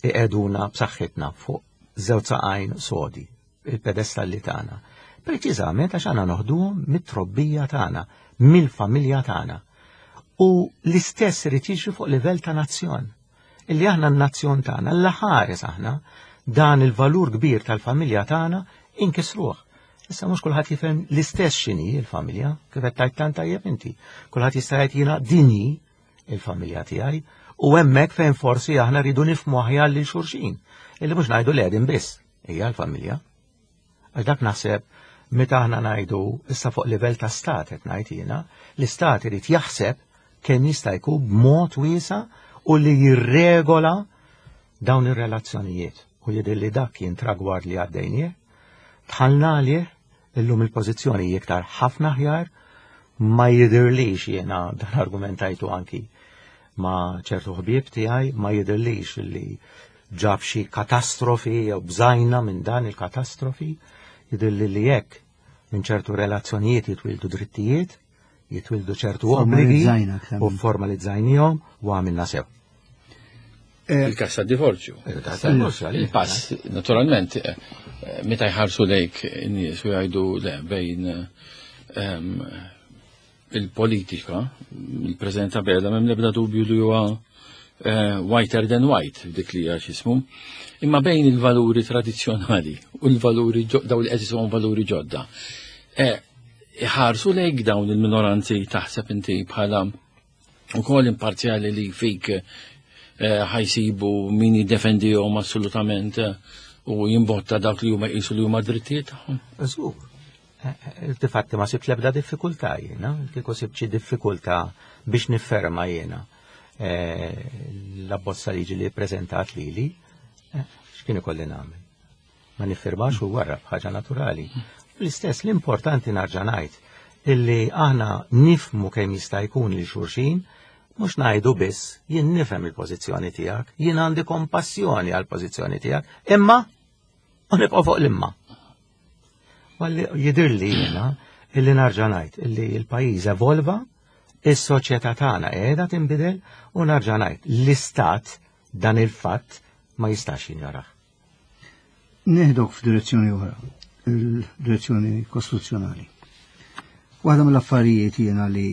iqeduna b'saħħitna fuq żewġ saqajn sodi il-pedestalli tagħna. Preċiżament għax għandna noħduhom mit-trobbija tagħna, mill-familja tagħna. U l-istess irid jiġri fuq livell ta' nazzjon. Illi aħna n-nazzjon tagħna, l ħares aħna dan il-valur kbir tal-familja tagħna inkisruh. Issa mhux kulħadd jifhem l-istess x'inhi l-familja, kif qed tgħid tant tajjeb inti. Kulħadd jista' jgħid jiena dinji il-familja tiegħi u hemmhekk fejn forsi aħna rridu nifhmu aħjar lil xulxin. Illi mhux ngħidu l biss hija l-familja. Għax dak naħseb meta aħna ngħidu issa fuq livell ta' stat qed ngħid jiena, l-istat irid jaħseb kemm jista' jkun b'mod wiesa' u li jirregola dawn ir-relazzjonijiet u jidher li dak kien tragward li għaddejnieh, dħalna għalih, illum il-pożizzjoni hi iktar ħafna aħjar, ma jidhirlix jiena dan argumentajtu anki ma' ċertu ħbieb tiegħi, ma jidhirlix li ġab xi katastrofi jew bżajna minn dan il-katastrofi, jidhirli li jekk minn ċertu relazzjonijiet jitwildu drittijiet, jitwildu ċertu obbligi u formalizzajnihom u għamilna sew. Eh, Il-kas ta' divorzju. Il-pass, naturalment, eh, meta jħarsu lejk in-nies u jgħidu le bejn ehm, il-politika, il-President Abela m'hemm l-ebda dubju li huwa eh, whiter than white dik li hija x'ismu. Imma bejn il-valuri tradizzjonali u l-valuri daw li qed valuri ġodda. Eh, iħarsu lejk dawn il-minoranzi taħseb inti bħala ukoll imparzjali li fik eh, ħajsibu min jiddefendihom assolutament u jimbotta dak li huma jqisu li huma drittijiet tagħhom. Żgur. Difatti ma sibt l-ebda diffikultà jiena, kieku sibt xi diffikultà biex nifferma jiena eh, l-abbozza liġi li ppreżentat lili, eh, x'kien ikolli nagħmel? Ma niffirmax u warra b'ħaġa naturali. L-istess l-importanti narġa' ngħid illi aħna nifmu kemm jista' jkun lil xulxin, mhux ngħidu biss jien nifhem il-pożizzjoni tiegħek, jien għandi kompassjoni għall-pożizzjoni tiegħek, imma u nibqgħu fuq l-imma. Walli jidhirli jiena illi narġa' ngħid illi l-pajjiż evolva, is-soċjetà tagħna qiegħda tinbidel u narġa' ngħid l-istat dan il-fatt ma jistax jinjorah. Neħdok f'direzzjoni oħra, il-direzzjoni kostituzzjonali. Waħda mill-affarijiet jiena li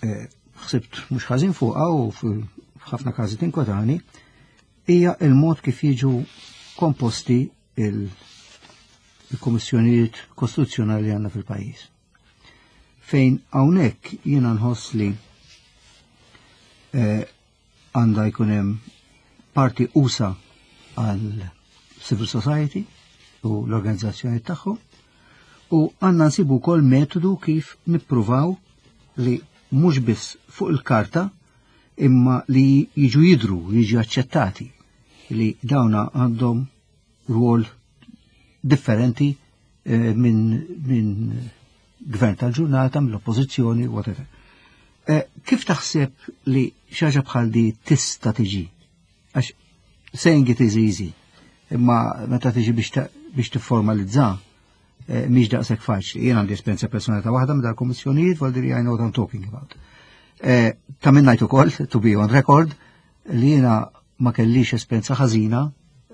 eh, ħsibt mhux ħażin fuqha u f'ħafna każi tinkwetani hija il-mod kif jiġu komposti il-kummissjonijiet kostituzzjonali li għandna fil-pajjiż. Fejn hawnhekk jiena nħoss li eh, għandha jkun hemm parti usa għal civil society u l-organizzazzjoni tagħhom u għandna nsibu wkoll metodu kif nippruvaw li mhux biss fuq il-karta imma li jiġu jidru, jiġu aċċettati li dawna għandhom rwol differenti eh, minn min gvern tal-ġurnata, mill-oppożizzjoni, whatever. Eh, kif taħseb li xaġa bħal di tista tiġi? Għax saying it is easy, imma meta tiġi biex tifformalizza, eh, mhix daqshekk faċli. Jien għandi esperjenza personali ta' waħda minn dal-kummissjonijiet, vol I know what I'm talking about. Eh, ta' minn ngħid ukoll, to be on record, li jiena ma kellix esperjenza ħażina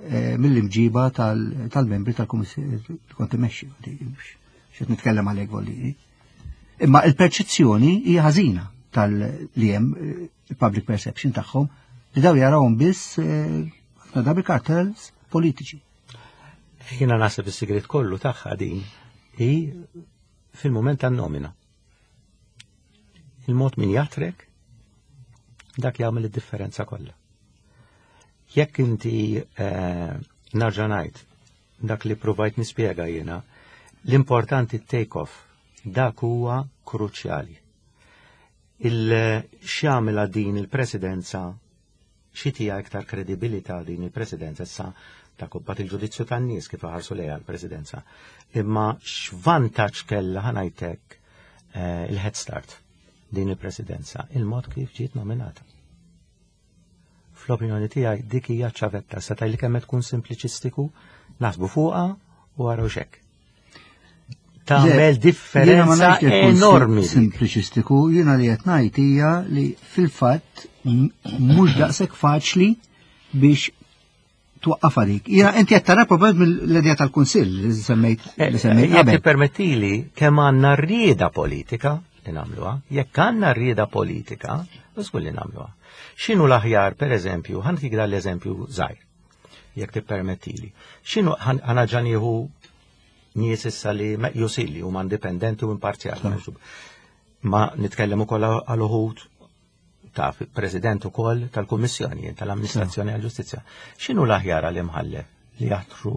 eh, mill-imġiba tal-membri tal-kummissjoni kont imexxi. Xed nitkellem għalhekk volli. Imma il-perċezzjoni hija ħażina tal-li hemm eh, public perception tagħhom li daw jarawhom biss eh, ħafna drabi kartels politiċi. Jiena naħseb is-sigriet kollu tagħha din hi fil-mument tan-nomina. Il-mod min jatrek dak jagħmel id-differenza kollha. Jekk inti eh, narġa' ngħid dak li provajt nispjega jiena, l-importanti take off dak huwa kruċjali. Il-x'jagħmilha din il-presidenza xi tija iktar kredibilità din il-presidenza issa ta' kubbat il-ġudizzju tan-nies kif ħarsu lejha l-presidenza. Imma x'vantaġġ kellha ħanajtek eh, il-head start din il-presidenza, il-mod kif ġiet nominata. Fl-opinjoni tiegħi dik hija ċavetta sa li kemm tkun simpliċistiku, naħsbu fuqha u għaraw xek. Tagħmel differenza enormi. Simpliċistiku, jiena li qed ngħid hija li fil-fatt mhux daqshekk faċli biex twaqqaf għalik. Jiena inti qed tara probabbli mill-idea tal-Kunsill li semmejt eh, li semmejt eh, Jekk tippermettili kemm għandna rrieda politika li nagħmluha, jekk għandna rrieda politika, żgur li nagħmluha. X'inhu l-aħjar, pereżempju, ħantik dan l-eżempju żgħir, jekk tippermettili. X'inhu ħanaġa nieħu nies issa li meqjusin li huma indipendenti u imparzjali. Ma nitkellem ukoll għal uħud taf president ukoll tal-Kummissjoni tal-Amministrazzjoni għall-Ġustizzja. X'inhu l-aħjar għal imħallef li jaħtru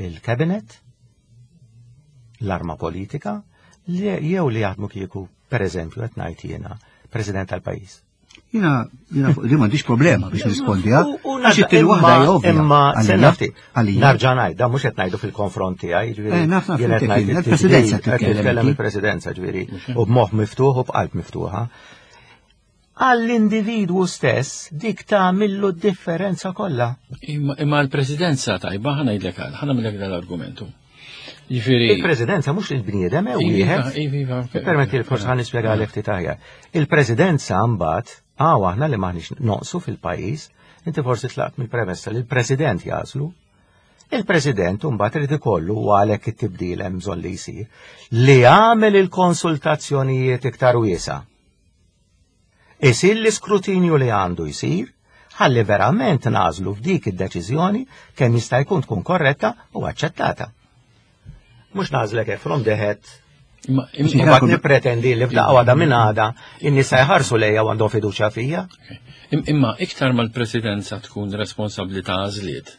il-kabinet, l-arma politika, li jew li jaħdmu kieku, per eżempju, qed ngħid jiena, president tal-pajjiż. Jina, jina fuq li m'għandix problema biex nispondi, għax it-tieni waħda hija ovvja. Imma se nafti, Għalija. narġa' ngħid, dan mhux qed ngħidu fil-konfront tiegħi, ġifieri. Eh, naf, naf, jien qed inti ngħid kien, il-presidenza qed titkellem titkellem inti. il-presidenza, ġifieri, u b'moħħ miftuħ u b'qalb miftuħa. Għall-individwu stess dik tagħmillu d-differenza kollha. Imma imma l-presidenza tajba ħana jidlek għal, ħana millek dal-argumentu. Ġifieri. Il-presidenza mhux il-bniedem hemm Iva, wieħed. iva, iva, ok. Permetti li forsi ħan nispjega għalek ftit aħjar. Il-presidenza mbagħad għaw aħna li maħniex noqsu fil-pajjiż, inti forsi tlaqt mill-premessa li l-president jażlu. Il-president mbagħad irid ikollu u għalhekk it-tibdil hemm bżonn li jsir li jagħmel il-konsultazzjonijiet iktar wiesa'. Isir l-iskrutinju li għandu jsir ħalli verament nażlu f'dik id-deċiżjoni kemm jista' jkun tkun korretta u aċċettata. Mhux nażlek hekk from the head Imma Imbagħad imma nippretendi li f'daqqa waħda minn għada in-nies jħarsu lejja u għandhom fiduċja fija. Imma iktar mal-presidenza tkun responsabbli ta' għażliet.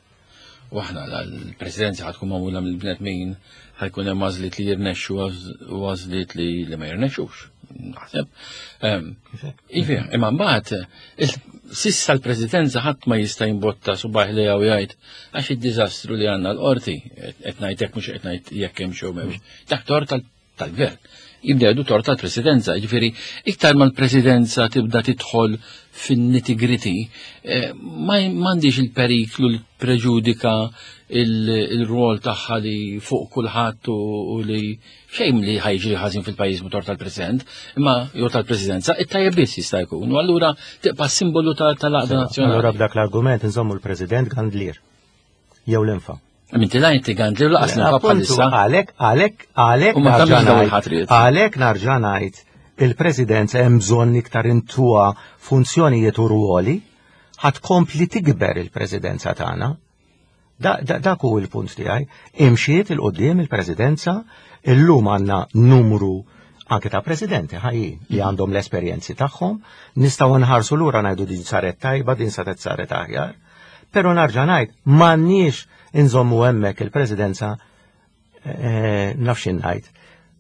U aħna l-presidenza ħad tkun magħmula mill-bnedmin ħajkun hemm għażliet li jirnexxu u għażliet li li ma jirnexxux. Naħseb. Ivi, imma mbagħad sissa l-presidenza ħadd ma jista' jimbotta subaħ li jew jgħid għax id-diżastru li għandna l-qorti qed ngħid hekk mhux qed ngħid jekk hemm xew m'hemmx. Dak tort tal-gvern. Jibda jgħidu tort tal-presidenza, jiġifieri iktar ma l-presidenza tibda tidħol fin-nitty-gritty, eh, m'għandix il-periklu li preġudika il-rwol tagħha li fuq kulħadd u li xejn li ħajġri ħażin fil-pajjiż motor tal-President, imma jew tal-Presidenza, it-tajjeb biss jista' jkun. U allura tibqa' simbolu tal-għaqda nazzjonali. Allura b'dak l-argument inżommu l-President Gandlier jew l-infa. Minti la inti Gandlier laqas l-infa bħalissa. Għalek, għalek, għalek. U ma tagħmilx dawn il-ħatriet. Għalek narġa' ngħid il-Presidenza hemm bżonn iktar intuha funzjonijiet u ruoli ħad kompli tikber il-Presidenza tagħna. Dak hu l-punt tiegħi. Imxiet il-qudiem il-Presidenza, illum għandna numru anke ta' presidenti ħajjin li mm. għandhom l-esperjenzi tagħhom, nistgħu nħarsu lura ngħidu din saret tajba, din saret saret aħjar. Però narġa' ngħid m'għandniex inżommu hemmhekk il-presidenza eh, nafx ngħid.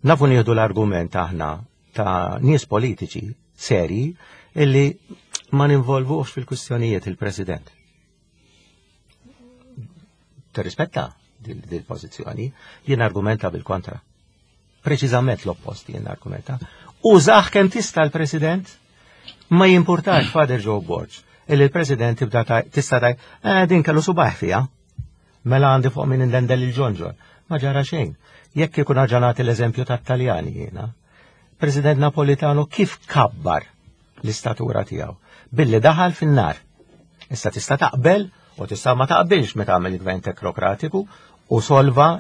Nafu nieħdu l-argument aħna ta' nies politiċi serji illi ma ninvolvux fil-kwistjonijiet il-president. Tirrispetta dil-pożizzjoni, jien argumenta bil-kontra. Preċiżament l-oppost jien argumenta. Użaħ kemm tista' l-President, ma jimpurtax Father Joe Borg, illi l-President tibda tista' taj, eh, din kellu subaħ fija. Mela għandi fuq minn indendel il-ġonġon. Ma ġara xejn. Jekk ikun aġanat l-eżempju tat-Taljani jiena. President Napolitano kif kabbar l-istatura tiegħu billi daħal fin-nar. Issa tista' taqbel u tista' ma taqbilx meta għamel gvern teknokratiku u solva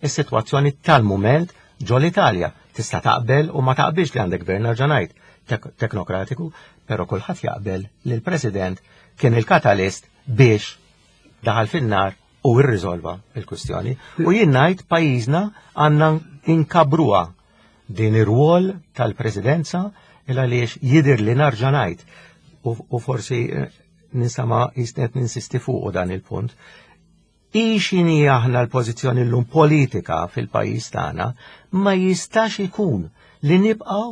is-sitwazzjoni tal-mument ġo l-Italja. Tista' taqbel u ma taqbilx li għandek gvern nerġa' teknokratiku, però kulħadd jaqbel li l-President kien il-katalist biex daħal fin-nar u irriżolva il-kwistjoni. U jien ngħid pajjiżna għandna inkabruha din ir-rwol tal-presidenza il għaliex jidir li narġa' ngħid u forsi eh, ninsama jisnet ninsisti fuq dan il-punt. Ixini aħna l-pożizzjoni llum politika fil-pajjiż tagħna ma jistax ikun li nibqgħu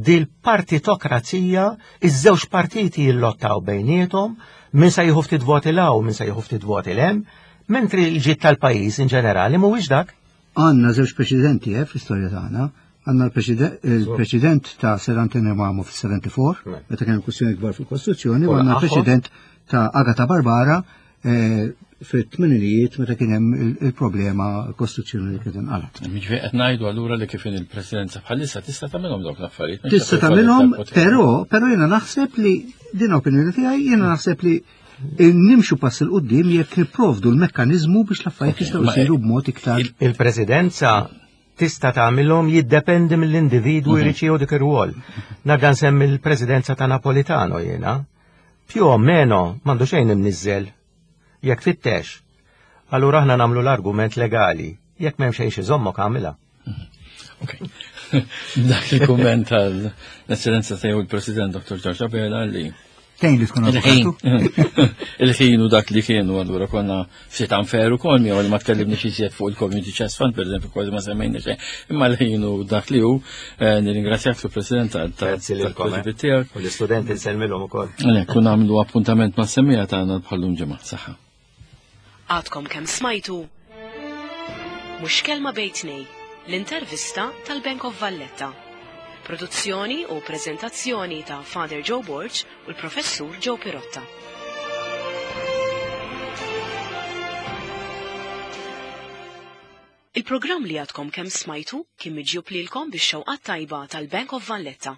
dil-partitokrazija iż-żewġ partiti jillottaw bejniethom min se jieħu ftit voti l min se jieħu ftit voti l-hemm, mentri l-ġid tal-pajjiż in ġenerali mhuwiex dak. Għandna żewġ preċedenti eh, fl-istorja tagħna. Għandna l-preċedent ta' Sir Antonio Mamo fil-74, meta kien kwistjoni kbar fil-Kostituzzjoni, u għandna l-preċedent ta' Agata Barbara eh, fit-tmeninijiet meta kien hemm il-problema kostituzzjoni li kien inqalat. Jiġifieri qed ngħidu allura li kif il-presidenza bħalissa tista' tagħmilhom dawk l-affarijiet. Tista' tagħmilhom, però però jiena naħseb li din opinjoni tiegħi jiena naħseb li nimxu pass il qudiem jekk nipprovdu l-mekkaniżmu biex l-affarijiet jistgħu jsiru b'mod iktar. Il-presidenza tista' tagħmilhom jiddependi mill-individwu mhm. jrid jieħu dik ir-rwol. Narġa' nsemmi l-presidenza ta' Napolitano jiena. Più o meno m'għandu xejn imniżżel. Jekk fittex. Allura aħna nagħmlu l-argument legali. Jekk m'hemm xejn xi żommok għamilha. Ok. Dak il-kumment tal-Eccellenza tiegħu il-President Dr. George Abela li Tejn li tkun avukatu. Il-ħin u dak li kienu allura konna ftit unfair ukoll miegħu li ma tkellimniex iżjed fuq il-Community Chest Fund, pereżempju kważi ma semmejna xejn. Imma l-ħin u dak li hu eh, nirringrazzjak sur President tal-tweġibiet eh. tiegħek. U l-istudenti nsellmilhom ukoll. Kun nagħmlu appuntament ma' semmija tagħna bħallum ġimgħa. Saħħa. Għadkom kemm smajtu Mhux Kelma Bejn Tnej, l-intervista tal-Bank of Valletta. Produzzjoni u preżentazzjoni ta' Father Joe Borg u l-Professur Joe Pirotta. Il-programm li għadkom kemm smajtu kien miġjub lilkom bix-xewqat tajba tal-Bank of Valletta.